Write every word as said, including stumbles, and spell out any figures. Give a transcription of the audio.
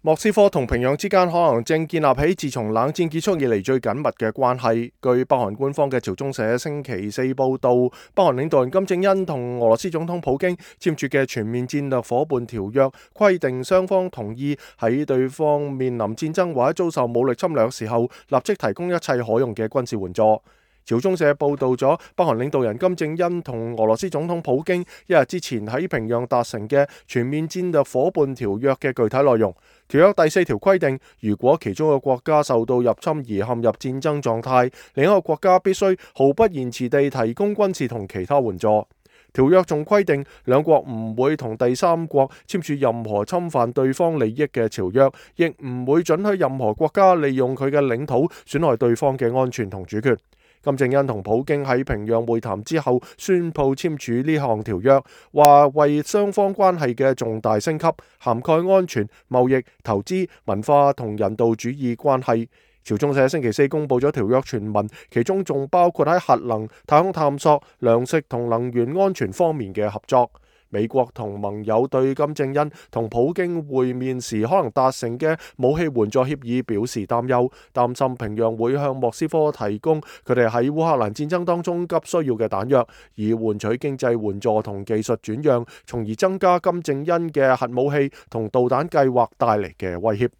莫斯科同平壤之間可能正建立起自從冷戰結束以嚟最緊密嘅關係。據北韓官方嘅朝中社星期四報道，北韓領導人金正恩同俄羅斯總統普京簽署嘅全面戰略夥伴條約，規定雙方同意喺對方面臨戰爭或者遭受武力侵略嘅時候，立即提供一切可用嘅軍事援助。朝中社報道咗北韓領導人金正恩同俄羅斯總統普京一日之前喺平壤達成嘅全面戰略夥伴條約嘅具體內容。條約第四條規定，如果其中一個國家受到入侵而陷入戰爭狀態，另一個國家必須毫不延遲地提供軍事同其他援助。條約仲規定，兩國唔會同第三國簽署任何侵犯對方利益嘅條約，亦唔會准許任何國家利用佢嘅領土損害對方嘅安全同主權。金正恩同普京喺平壤會談之後宣布簽署呢項條約，話為雙方關係嘅重大升級，涵蓋安全、貿易、投資、文化同人道主義關係。朝中社星期四公布咗條約全文，其中仲包括喺核能、太空探索、糧食同能源安全方面嘅合作。美國同盟友對金正恩同普京會面時可能達成嘅武器援助協議表示擔憂，擔心平壤會向莫斯科提供佢哋喺烏克蘭戰爭當中急需要嘅彈藥，以換取經濟援助同技術轉讓，從而增加金正恩嘅核武器同導彈計劃帶嚟嘅威脅。